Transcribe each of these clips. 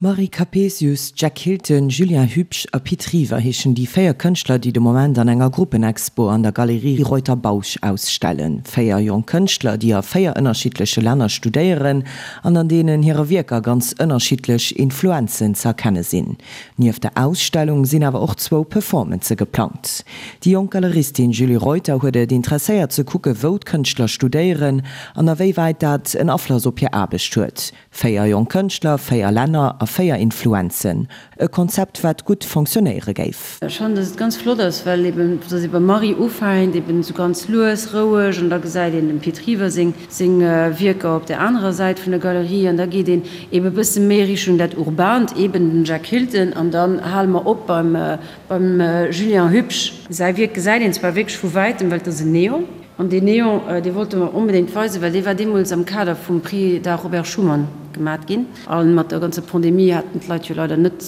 Marie Capesius, Jack Hilton, Julien Hübsch a Pit River heeschen déi 4 Kënschtler, déi de Moment an enger Gruppenexpo an der Galerie Reuter-Bausch ausstellen. 4 jonk Kënschtler, déi a 4 ënnerschiddleche Länner studéieren an an deenen hire Wierker ganz ënnerschiddlech Influenzen ze erkenne sinn. Nieft der Ausstellung sinn awer och zwou Performancë geplangt. Déi jonk Galeristin Julie Reuter huet et interesséiert ze kucke wou d'Kënschtler studéieren an a wéi wäit dat en Afloss op hir Aarbecht huet. 4 jonk Kënschtler, 4 Länner a 4 Influenzen. E Konzept wat gutt fonctionnéiere géif. Ech fannen, dass et ganz flott ass, well eben, dass ee beim Marie ufänkt, eben esou ganz lues, roueg, an da gesäit een dem Pit River seng seng Wierker op där anerer Säit vun der Galerie, an da geet een eben e bësse méi Richtung dat Urbant, eben den Jack Hilton, an dann hale mer op beim beim Julien Hübsch. Säi Wierk gesäit een zwar wierklech vu wäitem, well et ass en Neon. An deen Neon, dee wollte mer onbedéngt weisen, well dee war deemools am Kader vum Prix d'Art Robert Schuman gemat ginn. A mat der ganzer Pandemie haten d'Leit jo leider net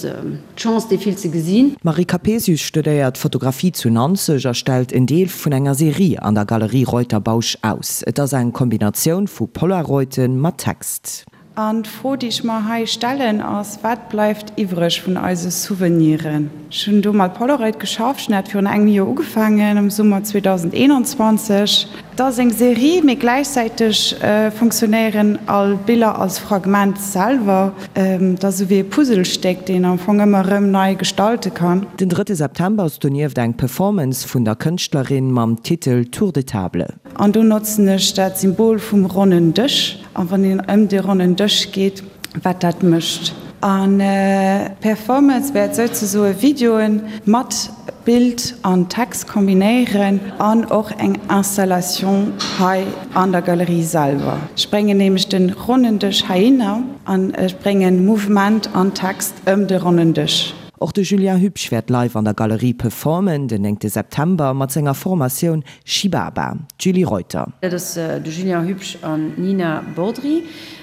d'Chance, dee vill ze gesinn. D'Marie Capesius studéiert Fotografie zu Nanzeg a stellt en Deel vun enger Serie an der Galerie Reuter-Bausch aus. Et ass eng Kombinatioun vu Polaroiden mat Text. An d'Fro, déi ech mer hei stellen, ass, Wat bleift iwwreg vun eise Souveniren? Ech hunn do mat Polaroid geschafft. Ech hunn dat virun engem Joer ugefaangen, am Summer 2021. Et ass eng Serie, mee gläichzäiteg funktionéieren all Biller als Fragment selwer. Et ass esou wéi e Puzzlestéck, deen am Fong ëmmer erëm nei gestalte kann. Den drëtte September ass donieft eng Performance vun der Kënschtlerin mam Titel Tour de table. An do notzen ech dat Symbol vum ronnen Dësch. An wann een ëm dee ronnen Dësch geet, wat dat mécht. An d'Performance wäert souzesoe Videoen mat Bild an Text kombinéieren an och eng Installation hei an der Galerie selwer. Ech bréngen nämlech de ronnen Dësch heihinner an ech bréngen Mouvement an Text ëm de ronnen Dësch. Och de Julien Hübsch wäert live an der Galerie performen, den néngte September, mat senger Formatioun Shibaba. D'Julie Reuter. Dat ass de Julien Hübsch an d'Nina Bodry.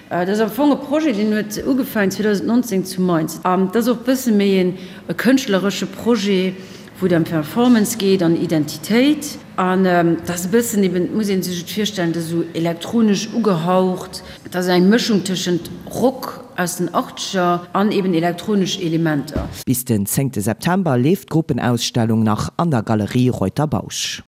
Dat ass am Fong e Projet, deen huet ugefaangen 2019 zu Mainz. An dat ass och e bësse méi en kënschtleresche Projet, wou et ëm Performance geet an Identitéit. An dat ass e bëssen eben, et muss ee sech et virstellen, dat ass esou elektronesch ugehaucht. Et ass eng Mëschung tëschent Rock aus den Achtzeger an eben elektronesch Elementer. Bis den zéngte September leeft d'Gruppenausstellung nach an der Galerie Reuter-Bausch.